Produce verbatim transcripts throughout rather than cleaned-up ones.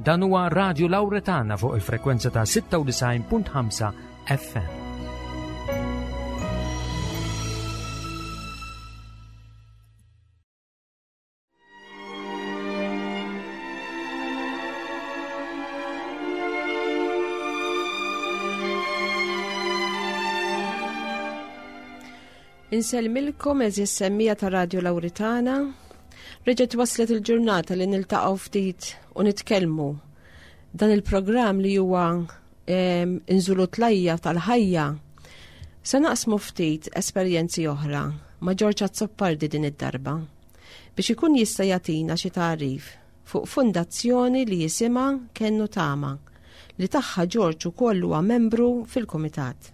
Dan huwa Radio Lauretana fuq il-frekwenza ta' sitta u disgħin punt ħamsa F M. Insellmilkom, għeżież semmiegħa ta' Radio Lauretana. Reġgħet waslet il-ġurnata li niltaqgħu ftit u nitkellmu. Dan il-programm li huwa Inżulu Tlajja tal-Ħajja. Se naqsmu ftit esperjenzi oħra ma' Ġorġ Azzopardi din id-darba biex ikun jista' jagħtina xi tagħrif fuq fundazzjoni li jisimha Kenn u Tama, li tagħha Ġorġ ukoll huwa membru fil-kumitat.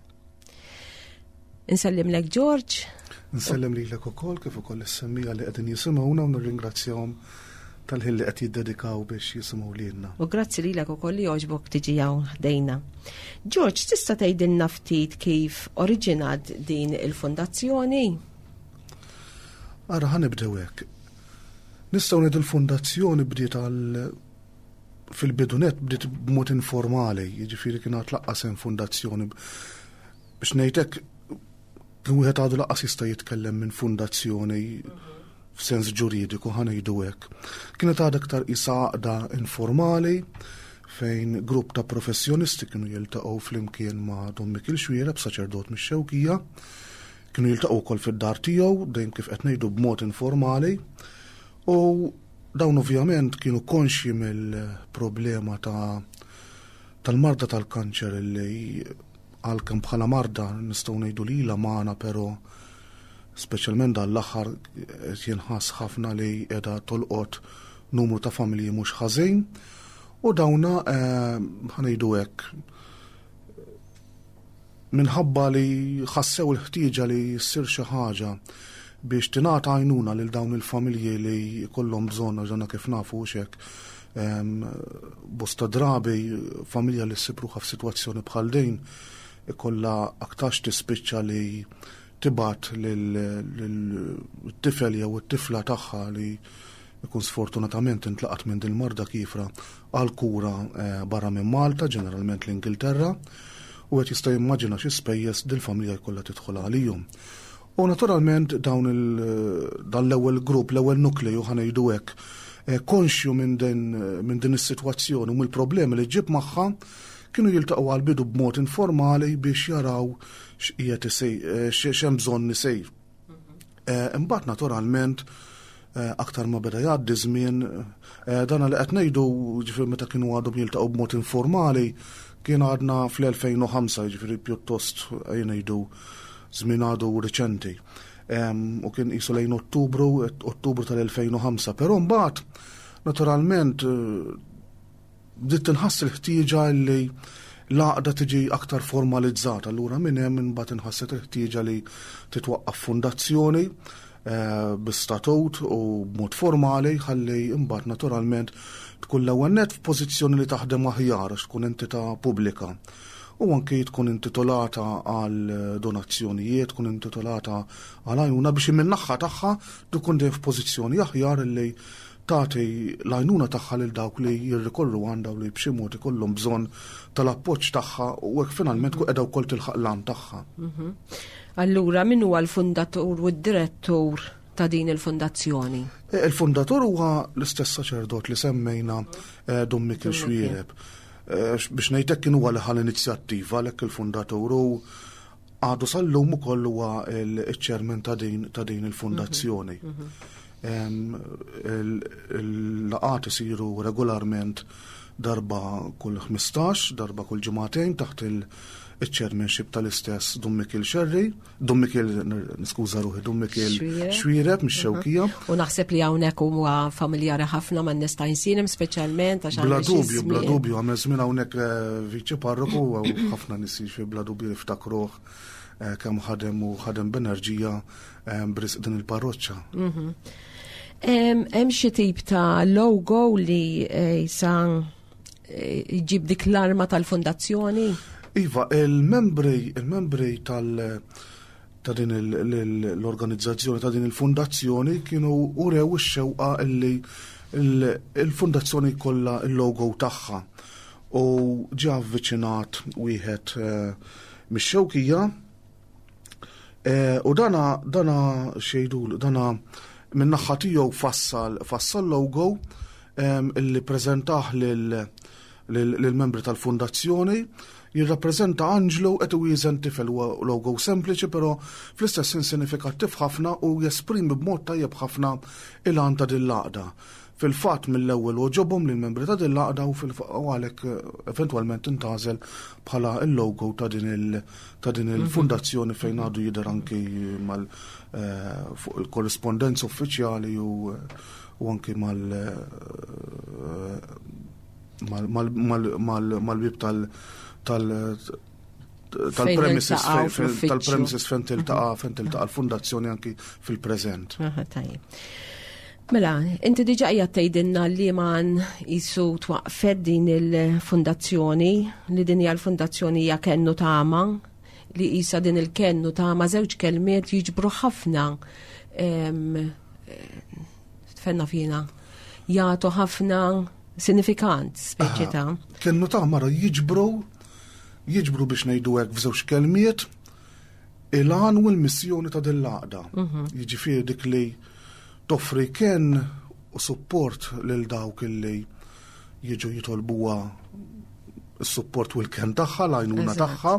Insellimlek, George. Nsellem lilek ukoll, kif ukoll is-semmiegħa li qegħdin jisimgħuna, u nirringrazzjahom tal-ħin li qed jiddedikaw biex jisimgħu lilna. U grazzi lilek ukoll li għoġbok tiġi hawn ħdejna. George, tista' tgħidilna ftit kif oriġinat din il-fundazzjoni? Ara, ħa nibdew hekk. Nistgħu ngħidu l-fundazzjoni bdiet għal fil-bidu nett bdiet b'mod informali, jiġifieri kien għad lanqas hemm fundazzjoni. Biex ngħidlek, kien wieħed għadu lanqas jista' jitkellem minn fundazzjoni f'sens ġuridiku, ħa ngħidu hekk. Kienet għadha aktar isa għaqda informali fejn grupp ta' professjonisti kienu jiltaqgħu flimkien ma' Dom Mikil Xwiereb, saċerdot mix-Xewkija, kienu jiltaqgħu wkoll fid-dar tiegħu, dejjem kif qed ngħidu b'mod informali, u dawn ovvjament kienu konxji mill-problema ta' tal-marda tal-kanċer, li għalkemm bħala marda nistgħu ngħidu li ilha magħna, però speċjalment dan l-aħħar jinħass ħafna li qiegħda tolqot numru ta' familji mhux ħażin, u dawna, eh, ħa ngħidu hekk, minħabba li ħassew il-ħtieġa li ssir xi ħaġa biex tingħata għajnuna lil dawn il-familji li jkollhom bżonn, għax kif nafu hekk, bosta drabi familja li ssib ruħha f'sitwazzjoni bħal din ikollha aktarx tispiċċa li tibgħat lil-tifel jew it-tifla tagħha li ikun sfortunatament intlaqat minn din marda kiefra għal kura eh, barra minn Malta, ġeneralment l-Ingilterra, u qed jista' jimmaġina xi spejjeż dil-familja jkollha tidħol għalihom. U naturalment dawn il dan l-ewwel grupp, l-ewwel nukleju, ħa ngħidu hekk, eh, konxju minn din minn din is-sitwazzjoni u mill-problemi li ġib magħha, kienu jiltaqgħu għal-bidu b'mod informali biex jaraw x'qiegħed isir, eh, x'hemm bżonn isir. Eh, imbagħad naturalment eh, aktar ma beda jgħaddi żmien, dan li qed ngħidu, ġifieri meta kienu għadhom jiltaqgħu b'mod informali, kien għadna fl-elfejn u ħamsa, ġifieri pjuttost ngħidu żmien għadu riċenti. U kien qisu lejn Ottubru, Ottubru tal-elfejn u ħamsa, però mbagħad naturalment bdiet tinħass il-ħtieġa li l-għaqda tiġi aktar formalizzata. Allura minn hemm imbagħad inħasset il-ħtieġa li titwaqqaf fundazzjoni eh, bi statut u b'mod formali, ħalli imbagħad naturalment tkun l-ewwel net f'pożizzjoni li taħdem aħjar għax tkun entità pubblika. U anki tkun intitolata għal donazzjonijiet, tkun intitolata għal għajnuna, biex min-naħa tagħha tkun dejjem f'pożizzjoni aħjar li tagħti l-għajnuna tagħha lil dawk li jirrikorru għandha u li b'xi mod ikollhom bżonn tal-appoġġ tagħha, u hekk finalment tkun qiegħda wkoll tilħaq l-għan tagħha. Mhm. Allura min huwa l-fundatur u d-direttur ta' din il-fundazzjoni? E, il-fundatur huwa l-istess saċerdot li semmejna, eh, Dom Mikil Xwiereb. Eh, biex ngħidlek, kien huwa li ħa l-inizjattiva, għalhekk il-fundatur, u għadu sal-lum ukoll huwa il-chairman ta' din ta' din il-fundazzjoni. Mhm, mhm. Il-laqgħat isiru regolarment darba kull ħmistax, darba kull ġimagħtejn, taħt il-chairmanship tal-istess Dom Mikil Xerri, Dom Mikil, niskuża ruħi, Dom Mikil Xwiereb mix-Xewkija. U naħseb li hawnhekk huwa familjari ħafna man nies ta' Għajnsielem speċjalment għax Bla dubju, bla dubju, għamel żmien hawnhekk eh, viċi parroku u ħafna nies fi bla dubju jiftakruh eh, kemm ħadem u ħadem b'enerġija eh, b'risq din il-parroċċa. Mhm. Hemm xi tip ta' logo li jisa jġib dik l-arma tal-fundazzjoni? Iva, il-membri, il-membri tal- ta' din l-organizzazzjoni, ta' din il-fundazzjoni, kienu urew ix-xewqa illi Il-fundazzjoni kollha il-logo tagħha u ġie avviċinat wieħed eh, mix-Xewkija eh, u dana dana xejdu dana minn naħa tiegħu fassal fassal logo illi preżentah lill-membri tal-fundazzjoni. Jirrappreżenta anġlu qed iwieżen tifel. Huwa logo sempliċi, però fl-istess sinifikattiv ħafna u jesprimi b'mod tajjeb ħafna il-għan ta' din l-għaqda. Fil-fatt mill-ewwel għoġobhom lill-membri ta' din l-għaqda u għalhekk eh, eventwalment intgħażel bħala il-logo ta' din il ta' din il-fundazzjoni fejn għadu jidher anki mal eh, fuq il-korrispondenza uffiċjali u u anki mal eh, mal-bib tal tal tal-premises tal-premises fejn tiltaqa' fejn tiltaqa' l-fundazzjoni anki fil-preżent. Tajjeb. Mela, inti diġa qiegħed tgħidilna li man jisu twaqfet din il-fundazzjoni, li din hija l-fundazzjoni hija Kenn u Tama, li qisha din il-kenn u tama żewġ kelmiet jiġbru ħafna tfenna fina, jagħtu ħafna sinifikant speċi ta' Kenn u tama jiġbru jiġbru biex ngħidu hekk f'żewġ kelmiet il-għan u l-missjoni ta' din l-għaqda. Mhm. Jiġifieri dik li toffri kenn u support lil dawk illi jiġu jitolbuha s-support u l-kenn tagħha, l-għajnuna tagħha,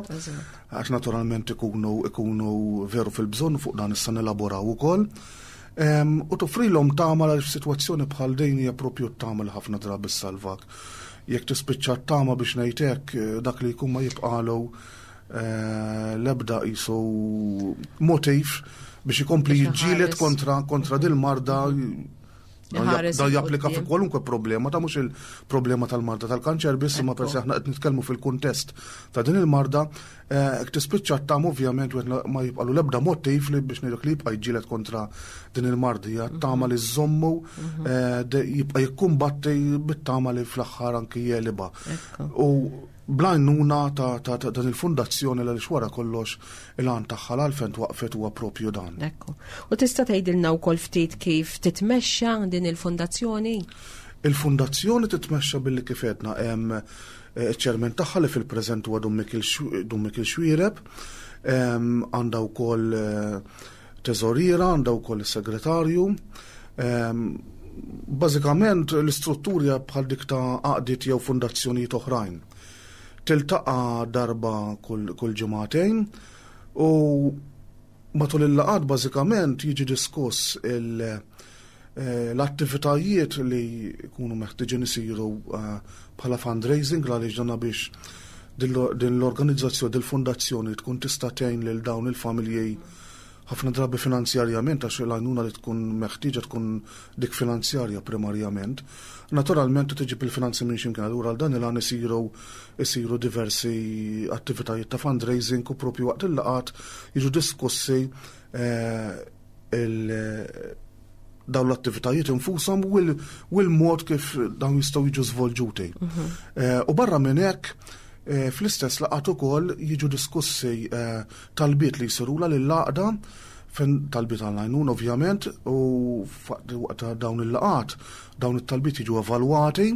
għax naturalment ikunu ikunu veru fil-bżonn, fuq dan issa nelaboraw ukoll. U toffrilhom tama għal f'sitwazzjoni bħal din hija propju t-tama li ħafna drabi salvak. Jekk tispiċċa t-tama, biex ngħidlek, dak li jkun ma jibqalu eh, l-ebda qisu motiv biex ikompli jiġġieled kontra kontra dil-marda. Dan japplika fi kwalunkwe problema, ta' mhux il-problema tal-marda tal-kanċer biss, ma persi aħna qed nitkellmu fil-kuntest ta' din il-marda, eh, tispiċċa tam ovvjament ma jibqalu l-ebda motiv li biex ngħidlek li jibqa' jiġġieled kontra din il-marda, hija tama li żommu mhm. eh, jibqa' jikkumbatti bit-tama li fl-aħħar anki jegħlibha. U bl-għajnuna ta' dan il-fundazzjoni li wara kollox il-għan tagħha l-għalfejn waqfet huwa propju dan. Ekku. U tista' tgħidilna wkoll ftit kif titmexxa din il-fundazzjoni? Il-fundazzjoni titmexxa billi kif għedna hemm eh, ċermen tagħha li fil-preżent huwa Dun Mikil Xwireb, għandha wkoll eh, teżoriera, għandha wkoll is-segretarju. Bażikament l-istruttura bħal dik ta' għaqdiet jew fundazzjonijiet oħrajn. Tiltaqa' darba kull, kull ġimagħtejn u matul il-laqgħat bażikament jiġi diskuss il- eh, l-attivitajiet li jkunu meħtieġin isiru eh, bħala fundraising, għaliex dana biex din l-organizzazzjoni, dil-fundazzjoni tkun tista' tgħin lil dawn il-familji ħafna drabi finanzjarjament, għax l-għajnuna li tkun meħtieġa tkun dik finanzjarja primarjament. Naturalment tiġi bil-finanzi minn ximkien, allura għal dan il-għan isiru isiru diversi attivitajiet ta' fundraising u propju waqt il-laqgħat jiġu diskussi eh, dawn l-attivitajiet infushom u l-mod kif dawn jistgħu jiġu żvolġuti. Mhm. Eh, u barra minn hekk eh, fl-istess laqgħat ukoll jiġu diskussi talbiet li jsirula lill-għaqda fejn talbiet għall-għajnuna ovvjament, u waqt dawn il-laqgħat dawn it-talbiet jiġu evalwati,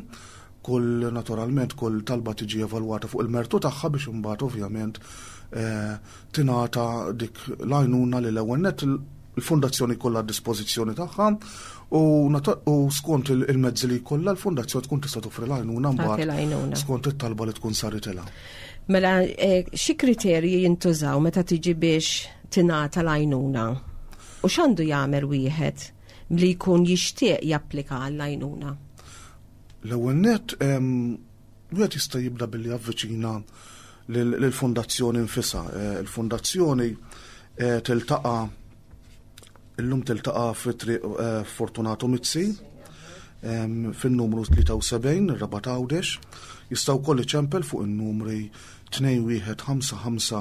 kull naturalment kull talba tiġi evalwata fuq il-mertu tagħha biex imbagħad ovvjament eh, tingħata dik l-għajnuna li l-ewwel net il-fundazzjoni kollha dispożizzjoni tagħha u, u skont il-mezzi li kollha l-fundazzjoni tkun tista' toffri l-għajnuna mbagħad skont it-talba li tkun saritilha. Mela, eh, xi kriterji jintużaw meta tiġi biex tingħata l-għajnuna? U x'għandu jagħmel wieħed li jkun jixtieq japplika għall-għajnuna? L-ewwel net, wieħed jista' jibda billi javviċina lill-fundazzjoni nfisha. Eh, il-fundazzjoni eh, tiltaqa' illum tiltaqa' fi Triq eh, Fortunato Mizzi fin-numru tlieta u sebgħin, Rabat Għawdex. Jista' wkoll iċempel fuq in-numri tnejn wieħed ħamsa ħamsa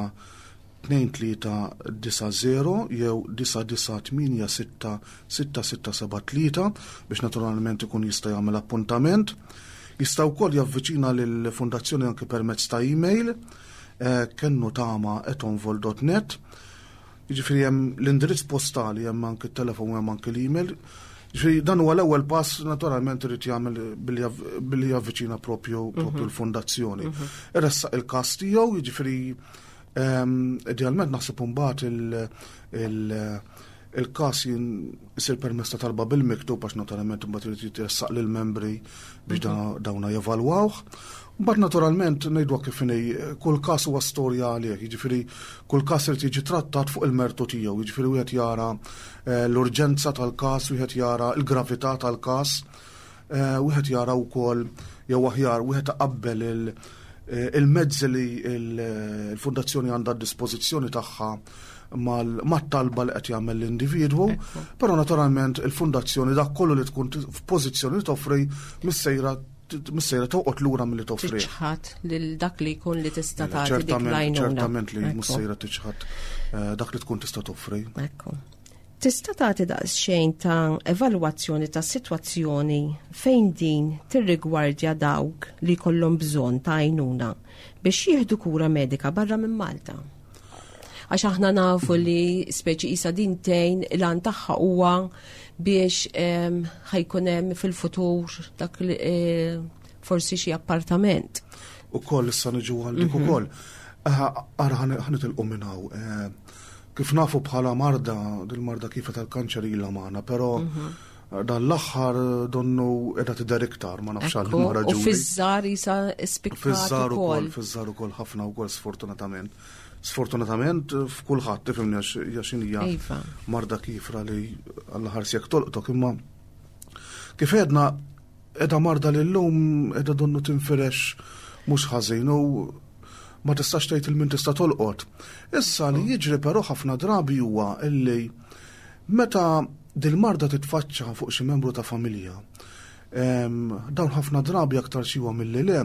tnejn tlieta disa' zero jew disa' disa' tmienja sitta sitta sitta seba' tlieta biex naturalment ikun jista' jagħmel appuntament. Jista' wkoll javviċina lill-fundazzjoni anke permezz ta' email eh, kennutama at onvol dot net. Jiġifieri hemm l-indirizz postali, hemm anke t-telefon u hemm anke l-email. Ġifieri dan huwa l-ewwel pass, naturalment irid jagħmel billi javviċina propju propju l-fondazzjoni. Iressaq il-każ tiegħu, jiġifieri idealment naħseb imbagħad il-każ jisir permezz ta' talba bil-miktub, għax naturalment imbagħad irid jitressaq lill-membri biex dawna jevalwawh. Mbagħad naturalment ngħidu kif inhi, kull każ huwa storja għalih, jiġifieri kull każ irid jiġi trattat fuq il-mertu tiegħu, jiġifieri wieħed jara l-urġenza tal-każ, wieħed jara l-gravità tal-każ, wieħed jara wkoll, jew aħjar wieħed taqabbel il-mezzi li l-fondazzjoni għandha d-dispożizzjoni tagħha mat-talba li qed jagħmel l-individwu, però naturalment il-fondazzjoni dak kollu li tkun f'pożizzjoni li toffri missejra missejra toqgħod lura milli toffri. Tiċħad lil dak li jkun li tista' tagħti dik l-għajnuna. Ċertament li missejra tiċħad dak li tkun tista' toffri. Ekku. Tista' tagħti daqsxejn ta' evalwazzjoni ta' sitwazzjoni fejn din tirrigwardja dawk li jkollhom bżonn ta' għajnuna biex jieħdu kura medika barra minn Malta? Għax aħna nafu li speċi isa din tgħin, il-għan tagħha huwa biex ħajkun hemm fil-futur dak li forsi xi appartament. Ukoll issa niġu għal dik ukoll. Ara ħa nitilqu minn hawn. Kif nafu bħala marda, dil-marda kif tal-kanċer ilha magħna, però dan l-aħħar donnu qiegħda tidher iktar, ma nafx għal Ekku, ma raġuni. U fiż-żgħar isa spikkat Fiż-żgħar ukoll, ukoll. fiż-żgħar ukoll ħafna wkoll, sfortunatament. Sfortunatament f'kulħadd, tifhimni, għax hija Iva. marda kifra li Alla ħares jekk tolqtok, imma kif għedna qiegħda marda li llum qiegħda donnu tinfirex mhux ħażin u ma tistax tgħid il min tista' tolqot. Issa li jiġri però ħafna drabi huwa illi meta dil-marda titfaċċa fuq xi membru ta' familja, dawn ħafna drabi aktar xi huwa milli le,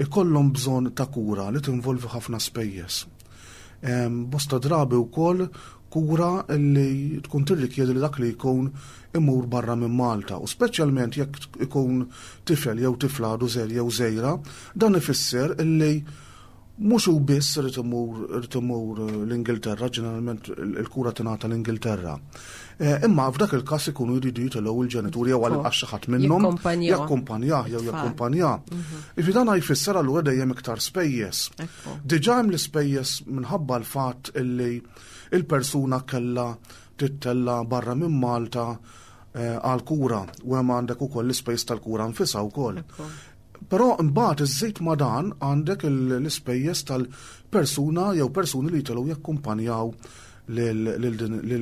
ikollhom bżonn ta' kura li tinvolvi ħafna spejjeż. Bosta drabi wkoll kura li tkun tirrikjedi li dak li jkun imur barra minn Malta, u speċjalment jekk ikun tifel jew tifla għadu żgħir jew żgħira, dan ifisser illi mhux hu biss irid imur, irid imur l-Ingilterra, ġeneralment il-kura tingħata l-Ingilterra. Eh, imma f'dak il-każ ikunu jridu jitilgħu il-ġenituri jew għal xi ħadd minnhom Jikkumpanjaw. jakkumpanjah jew Tfal. jakkumpanjah. Ifi dan jfisser allura dejjem iktar spejjeż. Ekku. Diġà hemm l-ispejjeż minħabba l-fatt illi il-persuna kellha tittella barra minn Malta eh, għal kura, u hemm għandek ukoll l-ispejjeż tal-kura nfisha wkoll. Ekku. Però mbagħad iżżid ma' dan għandek il-, l-ispejjeż tal-persuna jew persuni li jitilgħu jakkumpanjaw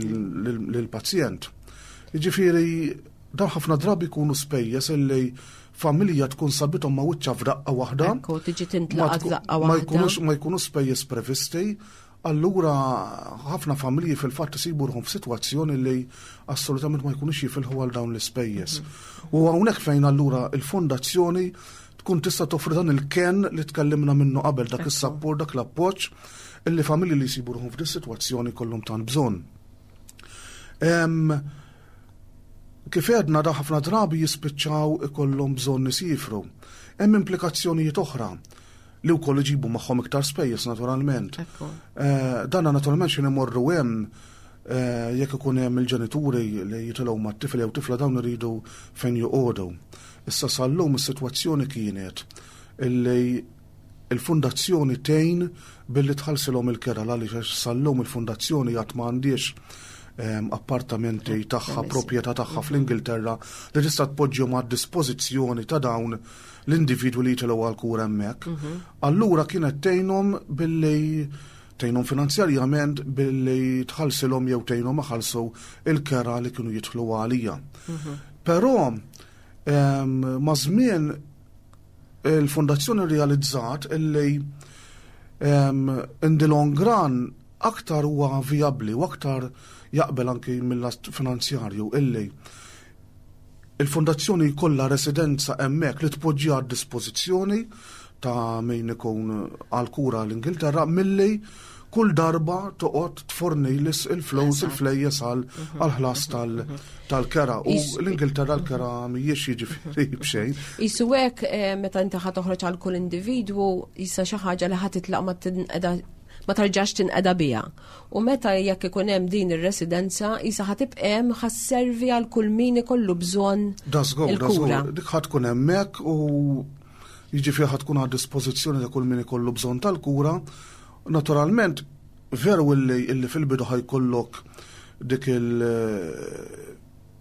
lil-pazjent. Jiġifieri dan ħafna drabi jkunu spejjeż illi familja tkun sabithom ma' wiċċha f'daqqa waħda. Ekku, tiġi Ma tintlaqat tkun- f'daqqa ma waħda. jkunux, ma jkunux spejjeż previsti. Allura ħafna familji fil-fatt isibu ruħhom f'sitwazzjoni li assolutament ma jkunux jifilħu għal dawn l-ispejjeż. U hawnhekk fejn allura il-fondazzjoni tkun tista' toffri dan il-ken li tkellimna minnu qabel, dak is-sapport, dak l-appoġġ illi familji li jsibu ruħhom f'din is-sitwazzjoni kollhom tant bżonn. Em, Kif għedna, da ħafna drabi jispiċċaw ikollhom bżonn isifru. Hemm implikazzjonijiet oħra li wkoll iġibu magħhom iktar spejjeż naturalment. Ekku. Eh, Danna naturalment xi nimorru hemm, eh, jekk ikun hemm il-ġenituri li jitilgħu mat-tifel jew tifla, dawn iridu fejn joqogħdu. Issa sal-lum is-sitwazzjoni kienet illi il-fundazzjoni tgħin billi tħallsilhom il-kera, għaliex għax sal-lum il-fundazzjoni għad ma għandix em, appartamenti tagħha, Permessi. proprjetà tagħha fl-Ingilterra li tista' tpoġġihom għad dispożizzjoni ta' dawn l-individwi li jitilgħu għal kura hemmhekk. Allura kienet tgħinhom billi tgħinhom finanzjarjament billi tħallsilhom jew tgħinhom iħallsu il-kera li kienu jidħlu għalija. Però em, ma' żmien il-fondazzjoni realizzat illi em, in the long run aktar huwa vijabbli u aktar jaqbel anki mill-lat finanzjarju illi il-fondazzjoni jkollha residenza hemmhekk li tpoġġiha għad dispożizzjoni ta' min ikun għal kura l-Ingilterra milli kull darba toqgħod tforni il-flus, il-flejjes għal ħlas tal-kera. U Is- l-Ingilterra l-kera mhijiex jiġifieri b'xejn. Isu hekk eh, meta inti ħa toħroġ għal kull individwu, jisa xi ħaġa li ħa titlaq ma tinqeda Ma tarġax tinqeda biha. U meta jekk ikun hemm din ir-residenza, isa ħa tibqa' hemm, ħa sservi għal kull min ikollu bżonn il-kura. Dik ħa tkun hemmhekk u jiġifieri ħa tkun għad dispożizzjoni ta' kull min ikollu bżonn tal-kura. Naturalment, veru illi, illi fil-bidu ħa jkollok dik il-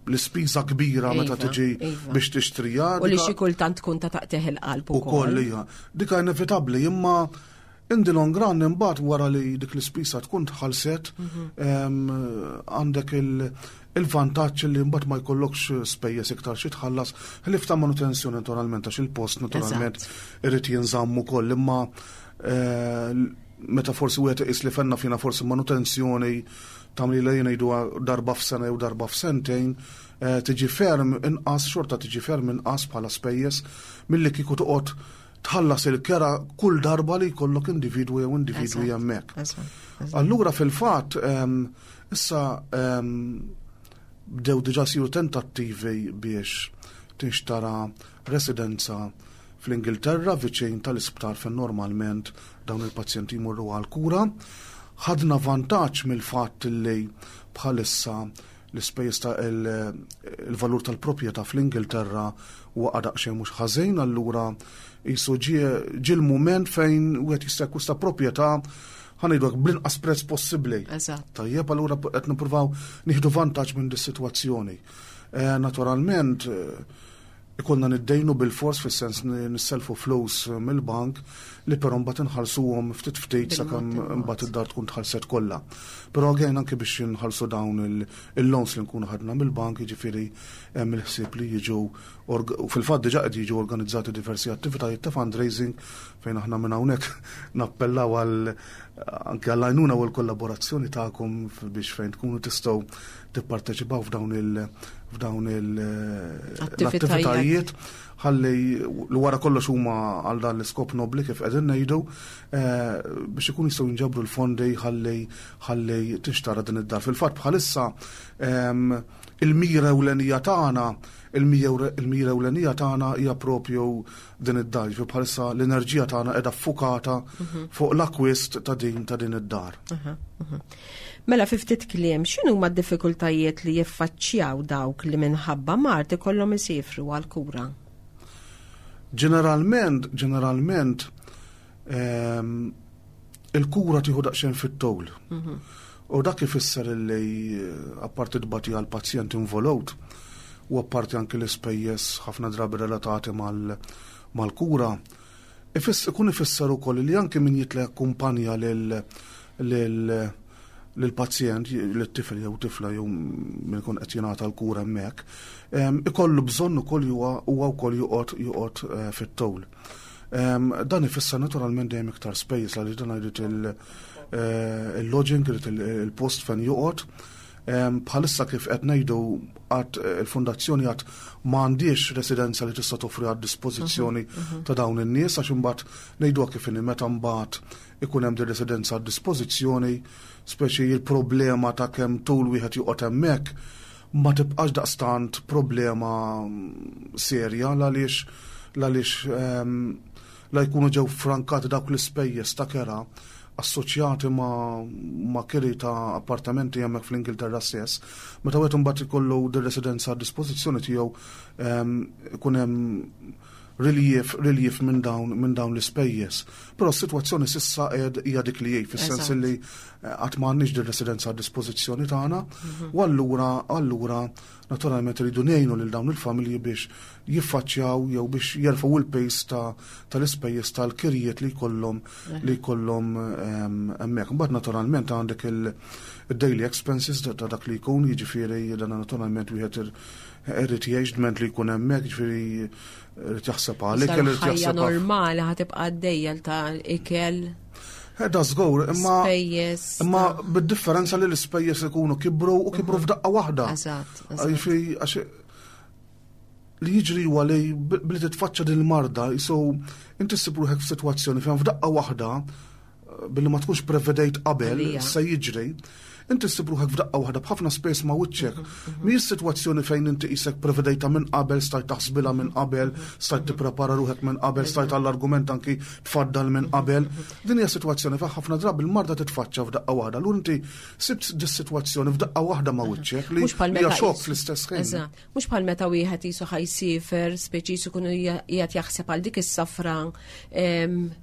l-ispiża kbira meta iva, tiġi iva. biex tixtrija. U li xi kultant tkun ta' taqtigħ il-qalb ukoll. Dika inevitabbli, imma in the long run imbagħad wara li dik l-ispiża tkun tħallset, mhm. għandek il-vantaġġ li mbagħad ma jkollokx spejjeż iktar xi tħallas ħlief ta' manutenzjoni naturalment, għax il-post naturalment irid jinżamm ukoll, imma eh, meta forsi wieħed iqis li fenna fina forsi manutenzjoni tagħmel li ngħidu darba f'sena jew darba f'sentejn, eh, tiġi ferm inqas, xorta tiġi ferm inqas bħala spejjeż milli kieku toqgħod tħallas il-kera kull darba li jkollok individwu jew individwi hemmhekk. Allura fil-fatt issa bdew diġà siru tentattivi biex tinxtara residenza fl-Ingilterra viċin tal-isptar fejn normalment dawn il-pazjenti jmorru għal-kura. Ħadna vantaġġ mill-fatt li bħalissa l-ispejjeż ta' il-valur tal-proprjetà fl-Ingilterra huwa daqsxejn mhux ħażin, allura jisu ġie l-mument fejn wieħed jista' jakkwista proprjetà, ħa ngħidu bl-inqas prezz possibbli. Tajjeb, allura qed nippruvaw nieħdu vantaġġ minn dis-sitwazzjoni. Eh, naturalment, eh, ikollna niddejnu bil-fors, fis-sens nisselfu flus mill-bank li però mbagħad inħallsuhom ftit ftit sakemm mbagħad id-dar tkun tħallset kollha. Però again, anke biex inħallsu dawn il-loans li nkunu ħadna mill-bank, jiġifieri hemm il-ħsieb li jiġu, u fil-fatt diġà qed jiġu organizzati diversi attivitajiet ta' fundraising fejn aħna minn hawnhekk nappellaw għal anke għall-għajnuna u l-kollaborazzjoni tagħkom biex fejn tkunu tistgħu tipparteċipaw f'dawn il f'dawn l-attivitajiet ħalli li wara kollox huma għal dan l-iskop nobli, kif qegħdin ngħidu, eh, biex ikun jistgħu jinġabru l-fondi ħalli ħalli tinxtara din id-dar. Fil-fatt bħalissa ehm, il-mira ewlenija tagħna il-mira ewlenija tagħna hija propju din id-dar. Fi bħalissa l-enerġija tagħna qiegħda ffukata mhm. fuq l-akwist ta' din ta' din id-dar. Mela fi ftit kliem, x'inhu ma d-diffikultajiet li jiffaċċjaw dawk li minħabba mard ikollhom isifru għal-kura? Ġeneralment, ġeneralment, ehm, il-kura tieħu daqsxejn fit-tul. Mhm. U dak ifisser li eh, apparti tbati għal-pazjent involut, u apparti anke l-ispejjeż ħafna drabi relatati mal-kura, ikun ifisser ukoll li anke min jitla jakkumpanja lil lill-pazjent, lit-tifel jew tifla jew min ikun qed jingħata l-kura hemmhekk, ikollu bżonn ukoll huwa wkoll joqgħod joqgħod eh, fit-tul. Dan ifisser naturalment dejjem iktar spejjeż għaliex dan jrid eh, il-lodging, irid il-post fejn joqgħod. Bħalissa, kif qed ngħidu, għad eh, il-fondazzjoni għad m'għandix residenza li tista' toffri għad dispożizzjoni mhm, mhm. ta' dawn in-nies, għax imbagħad ngħidu kif inhi, meta mbagħad ikun hemm din residenza għad dispożizzjoni, speċi il-problema ta' kemm tul wieħed joqgħod hemmhekk ma tibqax daqstant problema serja għaliex għaliex ehm, la jkunu ġew frankati dawk l-ispejjeż ta' kera assoċjati ma, ma kiri ta' appartamenti hemmhekk fl-Ingilterra stess. Meta wieħed imbagħad ikollu dir-residenza a dispożizzjoni tiegħu, ehm, ikun hemm relief, relief minn dawn minn dawn l-ispejjeż. Però s-sitwazzjoni s'issa qed hija dik li hi, fis-sens li eh, qatt m'għandniex din residenza a dispożizzjoni tagħna, mhm. u allura allura naturalment iridu ngħinu lil dawn il-familji biex jiffaċċjaw jew biex jerfgħu il-piż tal-ispejjeż tal-kirjiet li jkollhom li jkollhom ehm, hemmhekk. Mbagħad naturalment għandek il-daily expenses ta' dak li jkun, jiġifieri dan naturalment wieħed irid jgħix dment li jkun hemmhekk, jiġifieri irid jaħseb għalik, irid jaħseb normali ħa tibqa' għaddejja ta' ikel. Eh, da żgur, imma imma bid-differenza li l-ispejjeż ikunu kibru u kibru mhm. f'daqqa waħda. Eżatt. Għax li jiġri huwa li billi titfaċċa din il-marda, jisu inti ssib ruħek f'sitwazzjoni fejn f'daqqa waħda, billi ma tkunx prevedejt qabel se jiġri, Inti ssib ruħek f'daqqa waħda b'ħafna spejjeż ma' wiċċek. Mhijiex sitwazzjoni fejn inti qisek prevedejta minn qabel, stajt taħsbilha minn qabel, stajt tipprepara ruħek minn qabel, stajt għall-argument anki tfaddal minn qabel. Din hija sitwazzjoni fejn ħafna drabi il-marda titfaċċa f'daqqa waħda. Allura inti sibt dis-sitwazzjoni f'daqqa waħda ma' wiċċek li hija xokk fl-istess ħin. Eżatt. Mhux bħal meta wieħed qisu ħa jsiefer, speċi qisu jkunu qiegħed jaħseb għal dik is-safra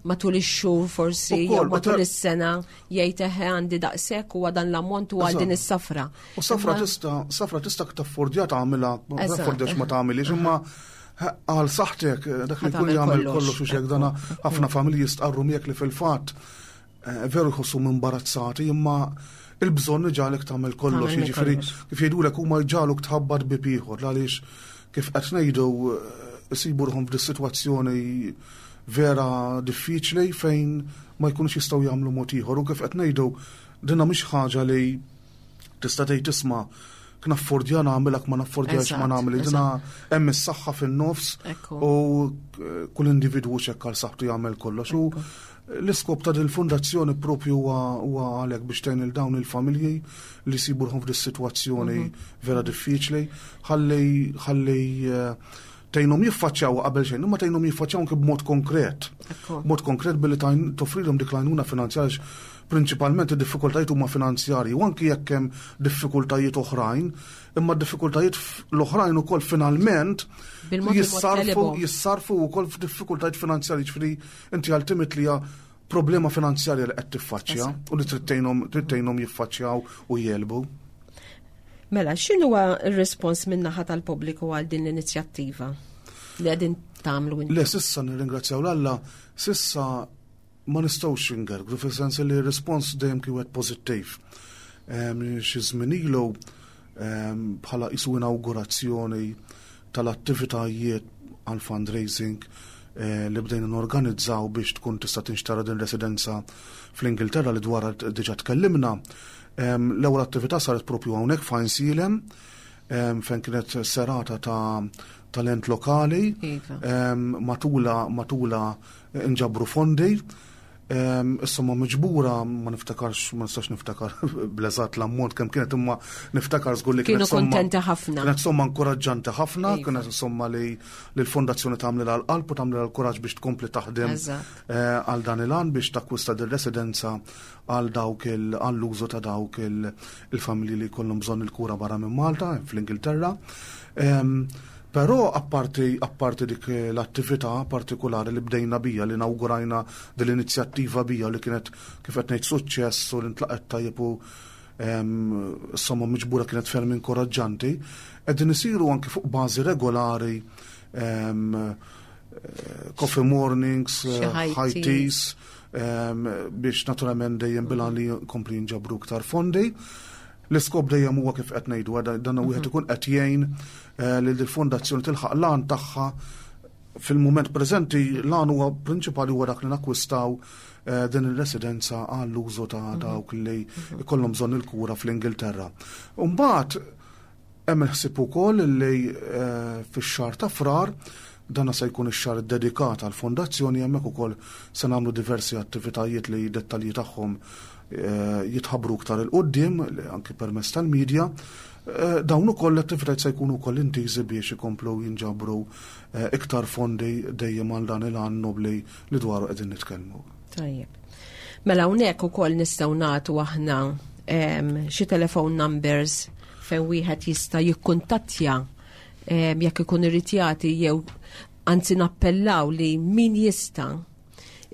matul ix-xhur forsi jew matul is-sena, jgħid, "Eħe, għandi daqshekk u dan l-ammont u għal din is-safra." U safra tista' safra tista' taffordja tagħmilha, taffordjax ma tagħmilix, imma għal saħtek dak li jkun jagħmel kollox u xek dana ħafna familji jistqarru miegħek li fil-fatt eh, veru jħossu imbarazzati, imma il-bżonn iġagħlek tagħmel kollox, jiġifieri kif jgħidulek huma jġagħluk tħabbat bieb ieħor, għaliex kif qed ngħidu eh, isibu ruħhom f'dis sitwazzjoni vera diffiċli fejn ma jkunux jistgħu jagħmlu mod ieħor. U kif qed ngħidu, dinna mhix ħaġa li tista' tgħid, "Isma', naffordja nagħmilek, ma naffordjax ma nagħmel." Dina hemm is-saħħa fin-nofs u kull individwu xekk għal saħħtu jagħmel kollox. U l-iskop ta' dil-fundazzjoni propju huwa għalhekk, biex tgħin il dawn il-familji li jsibu ruħhom f'dis-sitwazzjoni mhm. vera diffiċli, ħalli ħalli eh, tgħinhom jiffaċċjaw qabel xejn, imma tgħinhom jiffaċċjaw anke b'mod konkret. Mod konkret billi toffrilhom dik l-għajnuna finanzjarja. Prinċipalment id-diffikultajiet huma finanzjarji, u anki jekk hemm diffikultajiet oħrajn, imma d-diffikultajiet l-oħrajn ukoll finalment jissarfu jissarfu wkoll f'diffikultajiet finanzjarji, ġifieri inti ultimately hija problema finanzjarja li qed tiffaċċja u li trid tgħinhom jiffaċċjaw u jegħlbu. Mela, x'inhuwa r-respons min-naħa tal-pubbliku għal din l-inizjattiva li qegħdin tagħmlu inti? Le, s'issa nirringrazzjaw 'l Alla, s'issa ma nistgħux ingergru, fis-sens li r-respons dejjem kien wieħed pożittiv. Xi żmien ilu, bħala qisu inaugurazzjoni tal-attivitajiet għal fundraising eh, li bdejna norganizzaw biex tkun tista' tinxtara din residenza fl-Ingilterra li dwar diġà tkellimna. L-ewwel attività saret propju hawnhekk f'Għajnsielem, fejn kienet serata ta' talent lokali iva. matula matula inġabru fondi. Is-somma miġbura ma niftakarx, ma nistax niftakar bl-eżatt l-ammont kemm kienet, imma niftakar żgur li kienet somma kontenti ħafna. Kienet somma inkoraġġanti ħafna, iva. kienet somma li l-fondazzjoni tagħmel għal qalb u tagħmel għal-kuraġġ biex tkompli taħdem eh, għal dan il-għan biex takkwista din residenza għal dawk għall-użu ta' dawk il-familji li jkollhom bżonn il-kura barra minn Malta, fl-Ingilterra. Però apparti, apparti dik l-attività partikolari li bdejna bija, li inaugurajna dell-inizjattiva bija, li kienet, kif qed ngħid, suċċess u li ntlaqet tajjeb u somma miġbura kienet ferm inkoraġġanti, qegħdin isiru anki fuq bażi regolari coffee mornings, high teas, biex naturalment dejjem bil-għan li kompli jinġabru iktar fondi. L-iskop dejjem huwa, kif qed ngħidu, dan wieħed ikun qed jgħin eh, li l-fondazzjoni tilħaq l-għan tagħha. Fil-mument preżenti l-għan huwa prinċipali huwa dak li nakkwistaw eh, din il-residenza għall-użu ta' mhm. dawk li jkollhom bżonn il-kura fl-Ingilterra. Mbagħad hemm il-ħsieb ukoll li eh, fix-xahar ta' Frar, dana se jkun ix-xahar dedikat għal fondazzjoni, hemmhekk ukoll se nagħmlu diversi attivitajiet li dettalji tagħhom eh, jitħabbru iktar 'il quddiem anki permezz tal-medja. Eh, dawn ukoll l-attivitajiet se jkunu wkoll intiżi biex ikomplu jinġabru eh, iktar fondi dejjem għal dan il-għan nobli li dwaru qegħdin nitkellmu. Tajjeb. Mela hawnhekk ukoll nistgħu nagħtu aħna xi telephone numbers fejn wieħed jista' jikkuntattja jekk ikun irid jagħti, jew anzi nappellaw li min jista'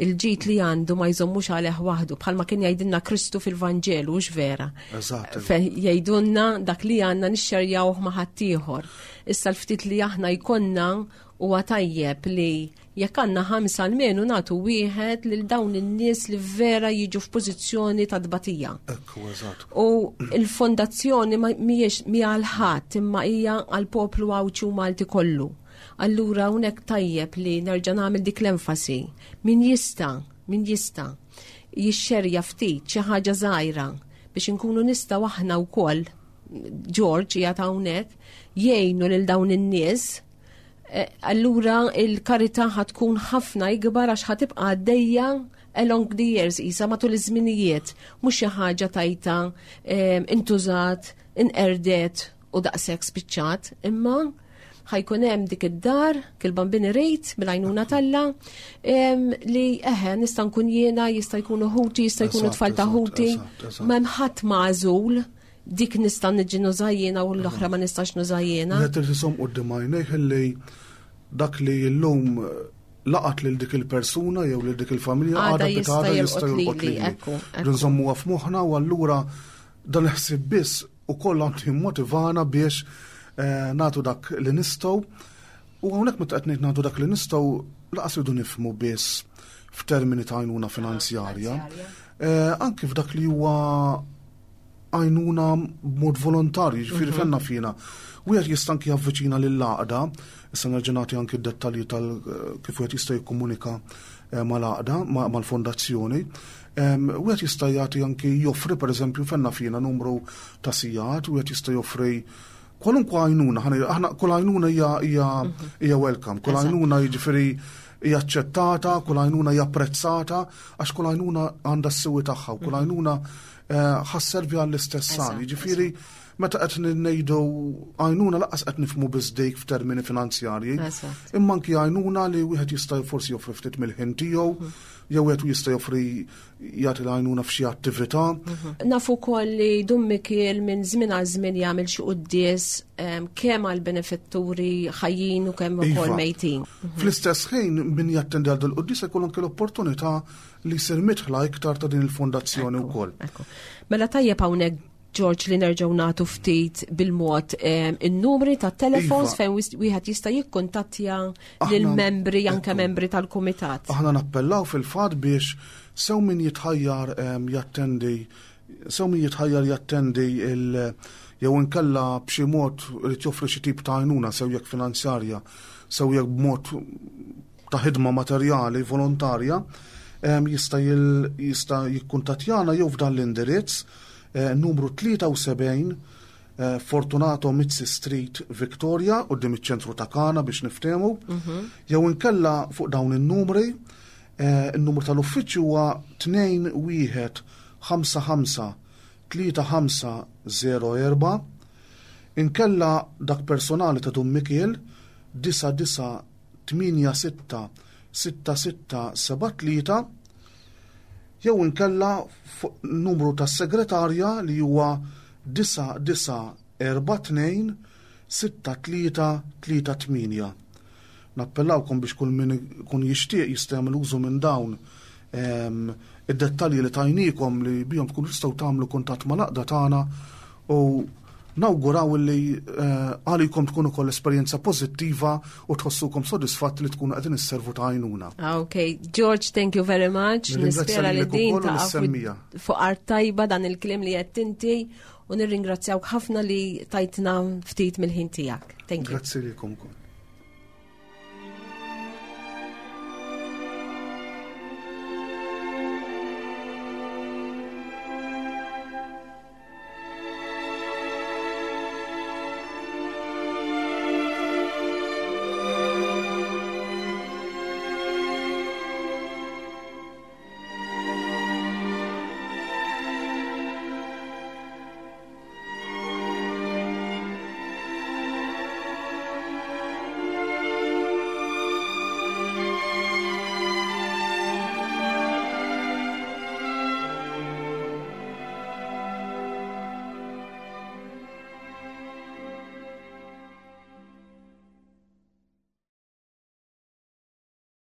il-ġid li għandu ma jżommux għalih waħdu, bħalma kien jgħidilna Kristu fil-Vanġelu, hux vera? Eżatt. Jgħidulna dak li għandna nixxerjawh ma' ħaddieħor. Issa l-ftit li aħna jkollna, huwa tajjeb li jekk għandna ħamsa almenu nagħtu wieħed lil dawn in-nies li vera jiġu f'pożizzjoni ta' tbatija. Ekku, eżatt. U il-fondazzjoni mhijiex mi għal ħadd, imma hija għal poplu Għawdxi u Malti kollu. Allura hawnhekk tajjeb li nerġa' nagħmel dik l-enfasi. Min jista', min jista' jixxerja ftit xi ħaġa żgħira biex inkunu nistgħu aħna wkoll, George qiegħed hawnhekk, jgħinu lil dawn in-nies, eh, allura il-karità ħa tkun ħafna ikbar għax ħa tibqa' għaddejja along the years, isa matul iż-żminijiet, mhux xi ħaġa tajta intużat, inqerdet u daqshekk spiċċat, imma ħa jkun hemm dik id-dar, kil-Bambin irid bil-għajnuna t'Alla, li eħe nista' nkun jiena, jista' jkunu ħuti, jista' jkunu tfal ta' ħuti, m'hemm ħadd magħżul, dik nista' niġi nuża jiena u l-oħra ma nistax nuża jiena. Qed iżomm quddiem għajnejh li dak li llum laqat lil dik il-persuna jew lil dik il-familja, għada jista' jista' jolqot lili. Nżommuha f'moħħna u allura dan il-ħsieb biss ukoll għandu jimmotivana biex eh, nagħtu dak li nistgħu. U hawnhekk meta qed ngħid nagħtu dak li nistgħu, lanqas irridu nifhmu biss f'termini ta' għajnuna finanzjarja. Eh, anki f'dak li huwa għajnuna b'mod volontarju, ġifieri mhm. fenna fina. Wieħed jista' anki javviċina lill-għaqda, issa nerġa' nagħti anki d-dettalji tal eh, kif wieħed jista' jikkomunika eh, mal-għaqda, mal-fondazzjoni. Wieħed jista' jagħti anki joffri, pereżempju, fenna fina numru ta' sigħat, wieħed jista' joffri kwalunkwe għajnuna, aħna kull għajnuna hija mhm. hija welcome, kull għajnuna, jiġifieri, hija aċċettata, kull għajnuna hija apprezzata, għax kull għajnuna għandha s-siwi tagħha u kull mhm. għajnuna eh, ħa sservi għall-istess għan. Jiġifieri, meta qed ngħidu għajnuna, lanqas qed nifhmu biss dik f'termini finanzjarji, imma anki għajnuna li wieħed jista' forsi joffri ftit mill-ħin tiegħu, mhm. jew wieħed jista' joffri, jagħti l-għajnuna f'xi attività. Mhm. Nafu wkoll li Dun Mikiel minn żmien għal żmien jagħmel xi quddies kemm għal benefatturi ħajjin u kemm ukoll iva. mejtin. Mhm. Fl-istess ħin, min jattendi għal dil-quddies jkollu anke l-opportunità li jsir midħla iktar ta' din il-fondazzjoni wkoll. Mela tajjeb hawnhekk, George, li nerġgħu nagħtu ftit bil-mod in-numri ta' telefons iva. fejn wieħed jista' jikkuntattja lill-membri, anke membri tal-kumitat. Aħna nappellaw fil-fatt biex sew min jitħajjar jattendi sew min jitħajjar jattendi il jew inkella b'xi mod irid joffri xi tip ta' għajnuna, sew jekk finanzjarja, sew jekk b'mod ta' ħidma materjali volontarja, jista' jista' jikkuntattjana jew f'dan l-indirizz eh, numru tlieta u sebgħin eh, Fortunato Mizzi Street, Victoria, quddiem iċ-ċentru ta' Kana biex niftehmu, mhm. jew inkella fuq dawn in-numri, eh, il-numru tal-uffiċċju huwa tnejn wieħed ħamsa ħamsa tlieta ħamsa żero erba', inkella dak personali ta' Dun Mikiel disgħa disgħa tmienja sitta sitta sitta seba' tlieta, jew inkella numru tas-segretarja li huwa disgħa disgħa erba' tnejn sitta tlieta tlieta tmienja. Nappellawkom biex kull min kun jixtieq jista' jagħmel użu minn dawn id-dettalji li tajnikom li bihom tkunu tistgħu tagħmlu kuntatt mal-għaqda tagħna u nawguraw li eh, għalikom tkun ukoll esperjenza pożittiva u tħossukom sodisfatt li tkunu qegħdin isservu ta' għajnuna. Ah, ok, George, thank you very much. Nispera li din ta' fuq art tajba dan il-kliem li qed inti u nirringrazzjawk ħafna li tajtna ftit mill-ħin tiegħek. Thank you. Grazzi lilkom ukoll.